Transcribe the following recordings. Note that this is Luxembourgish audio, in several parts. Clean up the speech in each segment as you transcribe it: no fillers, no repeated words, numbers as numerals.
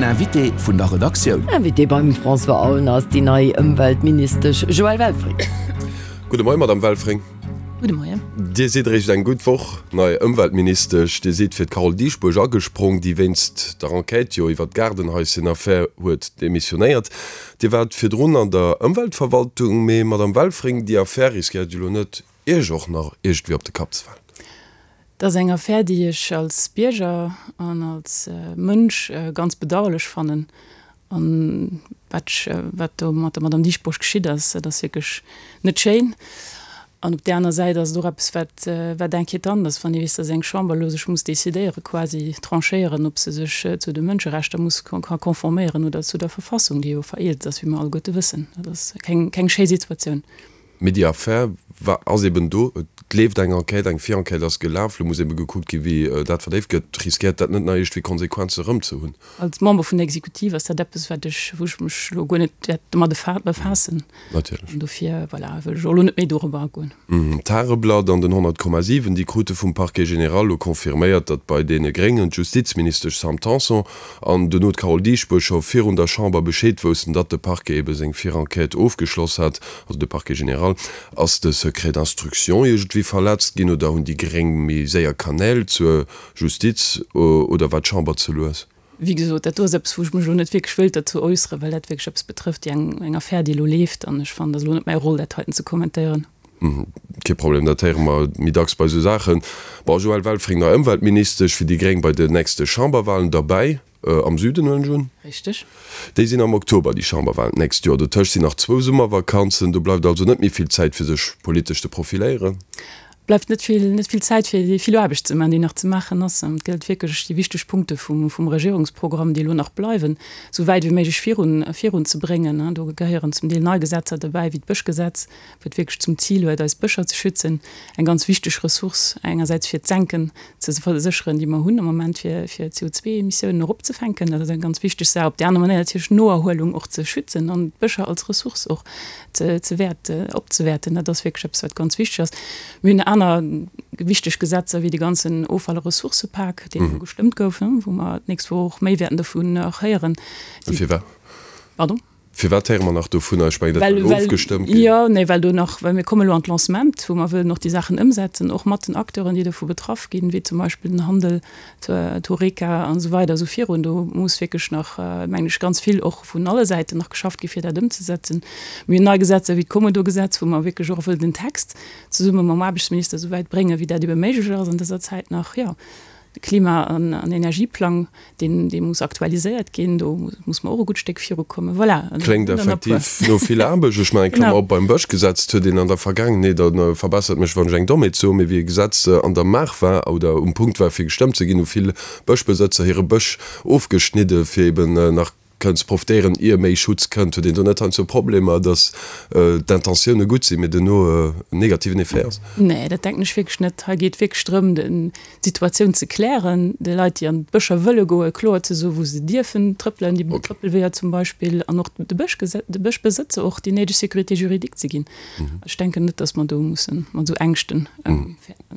Invité vun der Redaktioun. Invité beim François Aulner ass déi nei Ëmweltministesch Joëlle Welfring. Gudde Moien, Madame Welfring. Gudde Moien. Dir sidd eréischt eng gutt Woch nei Ëmweltministesch. Dir sidd fir d'Carole Dieschbourg agesprong, déi wéinst der Enquête jo iwwer d'Gaardenhaischen-Affär huet demissionéiert. Dir waart virdrun an der Ëmweltverwaltung. Mee, Madame Welfring, déi Affär riskéiert jo elo net, Iech och nach iergendwéi op de Kapp ze falen? Dat ass eng Affär, déi ech als Bierger an als Mënsch ganz bedauerlech fannen. An wat ech, wat do mat der Madame Dieschbourg geschitt ass, dat ass wierklech net schéin. An op där aner Säit ass et och eppes, wat, wat inquiétant ass, wann ee weess, datt eng Chamber elo sech muss decidéieren, quasi tranchéieren, ob se sech zu de Mënscherechter muss ka conforméieren oder zu der Verfassung, déi jo vereelzt ass, wéi mer alleguerte wëssen. Dat ass keng, keng schéi Situatioun. Mee déi Affär war, ass eben do. Et leeft eng Enquête, eng Virenquête ass gelaf. Elo muss ebe gekuckt ginn, wéi dat verdéift gëtt. Riskéiert dat net nach iergendwéi Konsequenze erëm ze hunn? Als Member vun der Exekutiv ass dat eppes, wat ech, wou ech mech elo guer net wäert domat befaassen. Natierlech. An dofir, voilà, wëll ech och elo net méi dorobber agoen. D'Tageblatt an den 100,7, déi krute vum Parquet général elo confirméiert, datt bei deene Gréngen d'Justizministesch Sam Tanson an duerno d'Carole Dieschbourg scho virun der Chamber Bescheed woussten, datt de Parquet ebe seng Virenquête ofgeschloss hat, also de Parquet général. Ass de Secret d'instruction iergendwéi verletzt ginn oder hunn déi Gréng méi séier Kanäl zur Justiz oder war d'Chamber ze lues? Wéi gesot, dat do ass eppes, wou ech mech elo net wierklech wëilt derzou äusseren, well dat wierklech eppes betrëfft, déi eng, eng Affär, déi elo leeft. An ech fannen, et ass elo net mäi Roll, dat heiten ze kommentéieren. Kee Problem, dat héiere mer méi dacks bei esou Saachen. Bon, Joëlle Welfring, nei Ëmweltministesch fir déi Gréng bei den nächste Chamberwahlen derbäi, am Süden, huelen ech un? Richteg. Déi sinn am Oktober, déi Chamberwahlen d'nächst Joer. Dotëscht sinn nach zwou Summervakanzen. Do bleift also net méi vill Zäit, fir sech politesch ze profiléieren. Bleift net vill, net vill Zäit fir déi vill Aarbecht ze maachen, déi nach ze maachen ass. An et gëllt wierklech, déi wichteg Punkte vum, vum Regierungsprogramm, déi elo nach bleiwen, esou wäit wéi méiglech virun, virunzebréngen. Do gehéieren zum Deel nei Gesetzer dobäi, wéi d'Bëschgesetz, wat wierklech zum Zil huet, eis Bëscher ze schützen, eng ganz wichteg Ressource engersäits fir d'Senken ze versécheren, déi mer hunn am Moment, fir, fir d'CO2-Emissiounen eropzefänken. Dat ass eng ganz wichteg Saach. Op där aner Manéier natierlech d'Noerhuelung och ze schützen an d'Bëscher als Ressource och ze wäert opzewäerten. Dat ass wierklech eppes, wat ganz wichteg ass. Mir hunn aner wichteg Gesetzer wéi de ganzen Offall a Ressourcëpak, deen elo gestëmmt gouf, wou mer d'nächst Woch och méi wäerten dovun nach héieren. Firwat? Pardon? Firwat héiere mer nach dovunner? Ech mengen, dat war elo ofgestëmmt ginn. Jo, nee, well do nach, well mir komme elo an d'Lancement, wou mer wëllen och déi Saachen ëmsetzen, och mat den Acteuren, déi dovu betraff ginn, wéi zum Beispill den Handel, d'Horeca an esou weider esou virun. Do muss wierklech nach, mengen ech, ganz vill och vun alle Säiten nach geschafft gi fir dat ëmzesetzen. Mir hunn nei Gesetzer wéi d'Kommodo-Gesetz, wou mer wierklech och wëllen den Text zesumme mam Aarbechtsminister esou wäit bréngen, wéi dat ebe méiglech ass an dëser Zäit nach. Jo, de Klima an Energieplang, deen, dee muss aktualiséiert ginn, do muss mer och e gutt Stéck virukommen. Voilà. Kléngt effektiv no vill Aarbecht. Ech mengen, Klammer op, beim Bëschgesetz huet een an der Vergaangenheet, a verbessert mech wann ech eng Dommheet soen, mee wéi e Gesetz an der Maach war oder um Punkt war fir gestëmmt ze ginn, hu vill Bëschbesëtzer hire Bësch ofgeschnidde fir eben nach kënnen ze profitéieren ier méi Schutz kënnt. Huet een do net heiansdo Problemer, datt d'Intentioune gutt sinn, mee duerno en negativen Effet ass? Nee, dat denken ech wierklech net. Hei geet wierklech drëm, d'Situatioun ze klären, de Leit, déi an d'Bëscher wëlle goen, kloer ze soen, wou se dierfen trëppelen, déi Trëppelweeër zum Beispill, an och de Bëschbesëtzer och déi néideg Sécurité juridique ze ginn. Ech denken net, datt mer do musse mat esou Ängschten.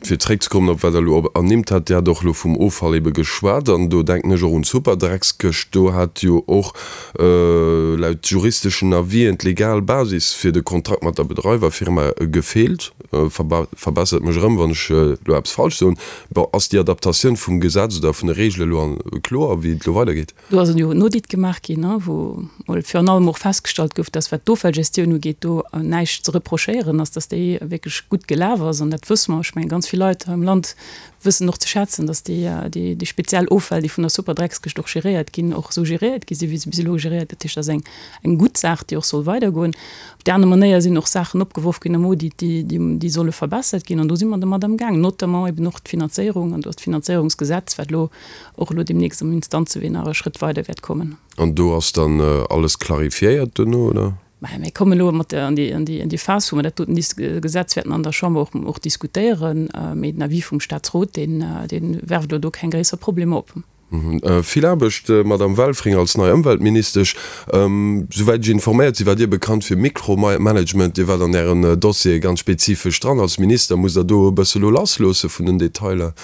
Fir zréckzekommen op wat Der elo ernimmt hat, Dir hat och elo vum Offall ebe geschwat, an do denken ech och un d'Superdreckskëscht. Do hat jo och laut juristeschen Avisen d'legal Basis fir de Kontrakt mat der Bedreiwerfirma gefeelt. Verbessert mech erëm, wann ech elo eppes falsch soen. Bon, ass déi Adaptatioun vum Gesetz oder vun de Reegele elo kloer, wéi et elo weidergeet? Do ass jo en Audit gemaach ginn, wou mol virun allem och festgestallt gouf, dass wat d'Offallgestioun ugeet, do näischt ze reprochéieren ass, dass déi wierklech gutt gelaf ass. An dat wësse mer. Ech mengen, ganz vill Leit hei am Land wëssen och ze schätzen, dass déi, déi speziell Offäll, déi vun der Superdreckskëscht och geréiert ginn, och esou geréiert gi sinn, wéi se bis elo geréiert. Dat heescht, dat ass eng, eng gutt Saach, déi och soll weidergoen. Op där aner Manéier sinn och Saachen opgeworf ginn am Audit, déi, déi solle verbessert ginn. An do si mer domat amgaang, notamment eben och d'Finanzéierung. An do ass d'Finanzéierungsgesetz, wat elo och elo deemnächst am Instanzewee nach e Schrëtt weider wäert kommen. An do ass dann alles clarifiéiert duerno, oder? Mä mir kommen elo mat der an déi, an déi, an déi Phas, wou mer dat doten Gesetz wäerten an der Chamber och, och diskutéieren. Mee den Avis vum Statsrot, deen, dee werft elo do keng gréisser Problemer op. Vill Aarbecht, Madamm Welfring, als nei Ëmweltministesch. Souwäit ech informéiert sinn, waart Dir bekannt fir Mikromanagement. Dir waart an Ären Dossiere ganz spezifesch dran. Als Minister musst Der do e bësse lo lassloosse vun den Detailer.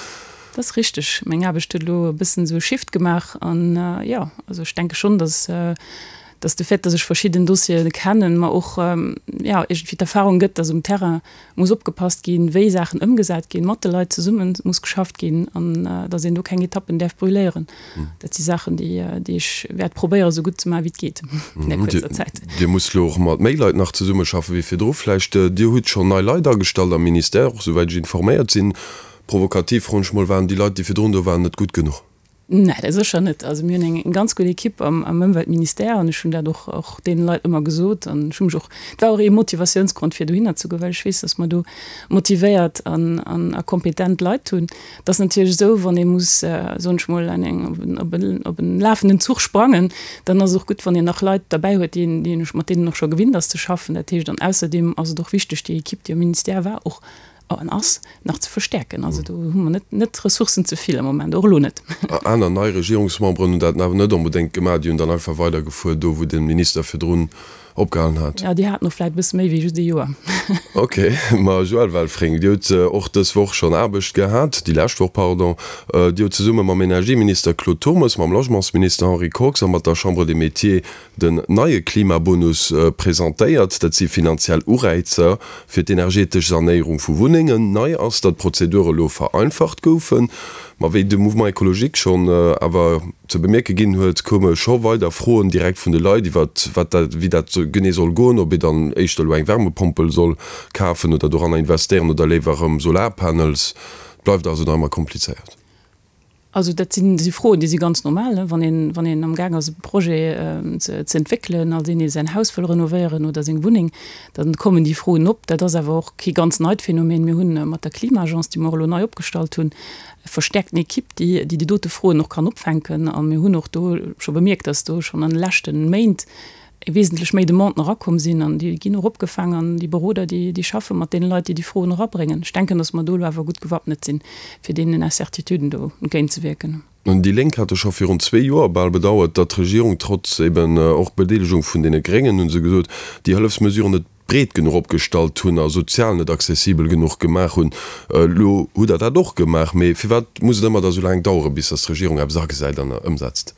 Dat ass richteg. Meng Aarbecht huet elo e bëssen esou e Shift gemaach an jo, also ech denke schonn, dass dass de Fait, dass ech verschidden Dossiere kennen, mer och jo iergendwéi d'Erfahrung gëtt, dass um Terrain muss opgepasst ginn, wéi Saachen ëmgesat ginn, mat de Leit zesumme muss geschafft ginn an dass een do keng Etappen däerf brûléieren. Dat si Saachen, déi déi ech wäert probéieren, esou gutt ze maachen, wéi et geet an där kuerzer Zäit. Dir musst elo och mat méi Leit nach zesummeschaffen, wéi virdru vläicht. Dir hutt schonn nei Leit agestallt am Ministère, och souwäit ech informéiert sinn. Provokativ froen ech mol, Waren déi Leit, déi virdrun do waren, net gutt genuch? Nä, dat sécher net. Also mir hunn eng ganz gutt Ekipp am Ëmweltministère an ech hunn dat och och deene Leit ëmmer gesot an ech hu mech och, et war och ee Motivatiounsgrond fir dohinner ze goen, well ech weess, datt mer do motivéiert an an a kompetent Leit hunn. Et ass natierlech esou, wann ee muss, soen ech mol, an eng op en op en lafenden Zuch sprangen, dann ass et och gutt, wann een nach Leit derbäi huet, déi een déi een mat deenen och scho gewinnt ass ze schaffen. Dat heescht, an ausserdeem ass et och wichteg, déi Ekipp, déi am Ministère war, och an ass, nach ze verstäerken. Also do hu mer net net Ressourcen ze vill am Moment, och elo net. Aner nei Regierungsmemberen hunn dat awer net onbedéngt gemaach. Déi hunn dann einfach weidergefuer do, wou de Minister virdrun opgehalen hat. Jo, déi haten och vläicht e bësse méi wéi just ee Joer. Ok. Ma Joëlle Welfring, Dir hutt och dës Woch schonn Aarbecht gehat, déi lescht Woch, pardon. Dir hutt zesumme mam Energieminister Claude Turmes, mam Logementsminister Henri Kox a mat der Chambre des Métiers Den neie Klimabonus presentéiert. Dat si finanziell Ureizer fir d'energetesch Sanéierung vu Wunnengen. Nei ass, datt d'Prozedure elo vereinfacht goufen. Ma wéi de Mouvement Ecologique schonn awer ze bemierke ginn huet, koume scho weider Froen direkt vun de Leit iwwer wat dat, wéi dat genee soll goen, ob ee dann éischter elo eng Wärmepompel soll kafen oder doranner investéieren oder léiwer erëm Solarpanels. Et bleift also nach ëmmer komplizéiert. Also dat sinn, si Froen, déi si ganz normal, wann een, wann een amgaang ass e Projet ze ze entwéckelen, als een, dee säin Haus wëll renovéieren oder seng Wunneng, da kommen déi Froen op. Dat ass awer och kee ganz neit Phänomen. Mir hunn mat der Klima-Agence, déi mer och elo nei opgestallt hunn, e verstäerkten Equipe, déi déi déi dote Froen och kann opfänken. A mir hunn och do scho bemierkt, datt do schonn an de leschte Méint wesentlech méi Demanden erakomm sinn an déi ginn och opgefaang an déi Beroder, déi, déi schaffe mat deene Leit, déi déi Froen erabréngen. Ech denken, datt mer do elo awer gutt gewappnet sinn, fir deenen Incertituden do entgéintzewierken. Déi Lénk hate scho virun zwee Joer bal bedauert, datt d'Regierung, trotz eben och Bedeelegung vun deene Gréngen, hu se gesot, déi Hëllefsmesuren net breet genuch opgestallt hunn a sozial net accessibel genuch gemaach hunn. Elo hutt Der dat och gemaach, mee firwat muss et ëmmer da sou laang daueren, bis datt d'Regierung eppes agesäit an ëmsetzt?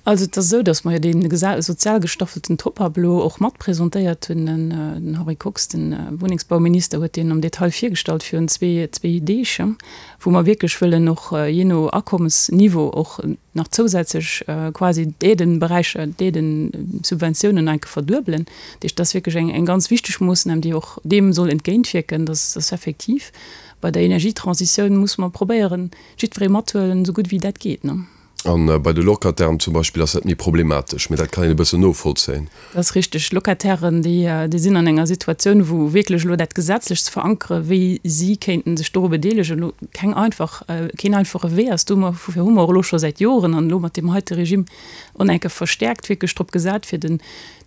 Also et ass esou, datt mer jo dee sozial gestaffelten Top-up elo och mat presentéiert hunn. Den Henri Kox, de Wunnengsbauminister, huet deen am Detail virgestallt virun zwee Deeg, wou mer wierklech wëllen och jee no Akommesniveau och nach zousätzlech quasi d'Aidenberäicher, d'Aidensubventiounen enke verduebelen. Dat heescht, dat ass wierklech eng ganz wichteg Moossnam, déi och deem soll entgéintwierken, datt effektiv bei der Energietransitioun musse mer probéieren, jiddweree mathuelen, esou gutt wéi dat geet. A bei de Locatairen zum Beispill ass dat méi problematesch, mee dat kann een e bëssen novollzéien. Dat ass richteg. Locatairen, déi sinn an enger Situatioun, wou wierklech elo dat gesetzlech ze verankeren, wéi si kéinten sech doru bedeelegen, elo keng einfach, keen einfache Wee ass. Dofir hu mer och elo scho säit Joren an elo mat deem heite Regime och nach eng Kéier verstäerkt wierklech drop gesat, fir den,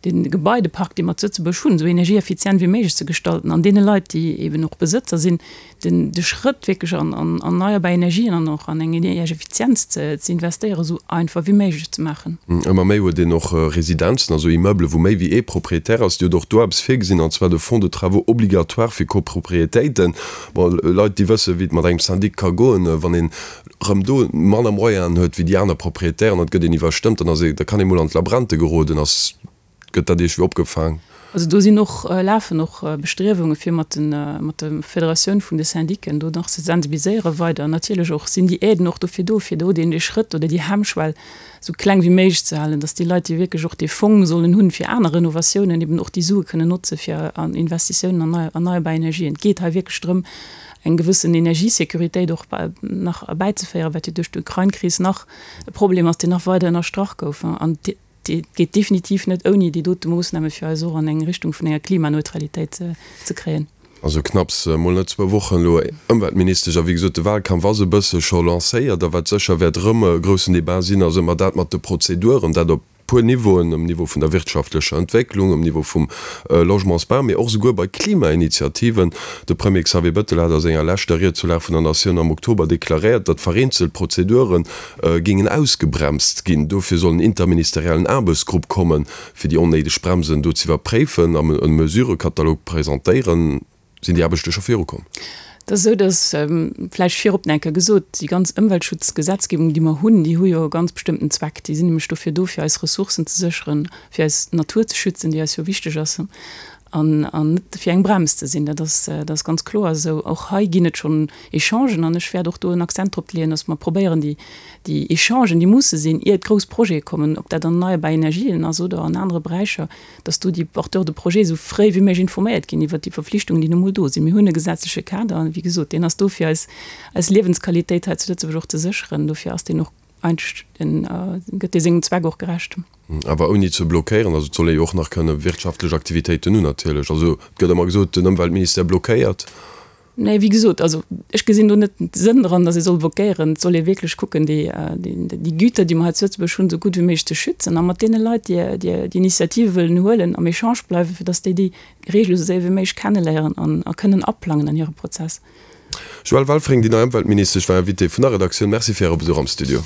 de Gebaidepark, dee mer zu Lëtzebuerg hunn, esou energieeffizient wéi méiglech ze gestalten an deene Leit, déi eeben och Besëtzer sinn, den de Schrëtt wierklech an an erneierbar Energien an och an eng Energieeffizienz ze ze investéieren, esou einfach wéi méiglech ze maachen. Ëmmer méi huet een och Residenzen, also Immeublen, wou méi wéi ee Propriétaire ass. Dir hutt och do eppes virgesinn, an zwar de Fonds de travaux obligatoire fir Copropriétéiten. Bon, Leit, déi wëssen, wéi et mat engem Syndic ka goen, wann een erëm do manner Moyenen huet wéi déi aner Propriétairen, an et gëtt een iwwerstëmmt, dann ass ee, da kann ee mol an d'Labrente geroden. Ass Gëtt dat iergwéi opgefaang? Also do sinn och, lafen och Bestriewunge fir mat de mat der Federatioun vun de Syndiquen do nach ze sensibiliséiere weider. Natierlech och sinn déi Aiden och dofir do, fir do deen dee Schrëtt oder déi Hemmschwell esou kleng wéi méiglech ze halen, datt déi Leit, déi wierklech och dee Fong sollen hunn fir aner Renovatiounen, eben och déi Sue kënnen notze fir an Investitiounen an erneierbar Energien. Et geet hei wierklech drëm, eng gewëssen Energiesécuritéit och nach erbäizeféieren, wat jo duerch d'Ukrain-Kris nach e Problem ass, deen nach weider ënnerstrach gouf. An Et geet definitiv net ouni déi dote Moossname fir eis och an eng Richtung vun enger Klimaneutralitéit ze kréien. Also knapps mol net zwou Wochen elo Ëmweltministesch a wéi gesot de Wahlkampf ass e bësse scho lancéiert a wat sécher wäert erëm e groussen Debat sinn, ass ëmmer dat mat de Prozeduren, dat op puer Niveauen, um Niveau vun der wirtschaftlecher Entwécklung, um Niveau vum Logementsbau, mee och esouguer bei Klimainitiativen. De Premier Xavier Bettel hat a senger leschter Ried zur Lag vun der Natioun am Oktober deklaréiert, datt vereenzelt Prozeduren géingen ausgebremst ginn. Dofir soll en interministeriellen Aarbechtsgrupp kommen, fir déi onnéideg Bremsen do z'iwwerpréifen an e Mesurëkatalog presentéieren. Sinn déi Aarbechte scho virukomm? Et ass esou, datt, vläicht virop nach eng Kéier gesot, déi ganz Ëmweltschutzgesetzgebung, déi mer hunn, déi hu jo e ganz bestëmmten Zweck. Déi sinn nämlech dofir do, fir eis Ressourcen ze sécheren, fir eis Natur ze schützen, déi eis jo wichteg ass, an net fir eng Brems ze sinn. Dat ass, dat ass ganz kloer esou. Och hei ginn et schonn Echangen an ech wäert och do en Accent drop leeën, datt mer probéieren, déi, déi Echangen, déi musse sinn, ier grouss Projete kommen, ob dat an erneierbar Energien ass oder an anere Beräicher, dass do déi Porteurs de projets esou fréi wéi méiglech informéiert ginn iwwert déi Verpflichtungen, déi nu mol do sinn. Mir hunn e gesetzleche Kader an, wéi gesot, deen ass do, fir eis, eis Liewensqualitéit hei zu Lëtzebuerg och ze sécheren. Dofir ass deen och eigentlech, den, gëtt dee sengem Zweck och gerecht. Awer ouni ze blockéieren. Also et soll ee jo och nach kënne wirtschaftlech Aktivitéiten hunn natierlech. Also et gëtt ëmmer gesot, den Ëmweltministère blockéiert. Nee, wéi gesot, also ech gesinn do net de Sënn dran, datt ee soll blockéieren. Et soll ee wierklech kucken, déi, déi Güter, déi mer hei zu Lëtzebuerg hunn, esou gutt wéi méiglech ze schützen a mat deene Leit, déi, déi déi Initiative wëllen huelen, am Echange bleiwen, fir datt déi déi Regele esou séier wéi méiglech kenneléieren an a kënnen aplangen an hire Prozess. Joëlle Welfring, déi nei Ëmweltministesch, war Invitée vun der Redaktioun. Merci fir Äre Besuch am Studio.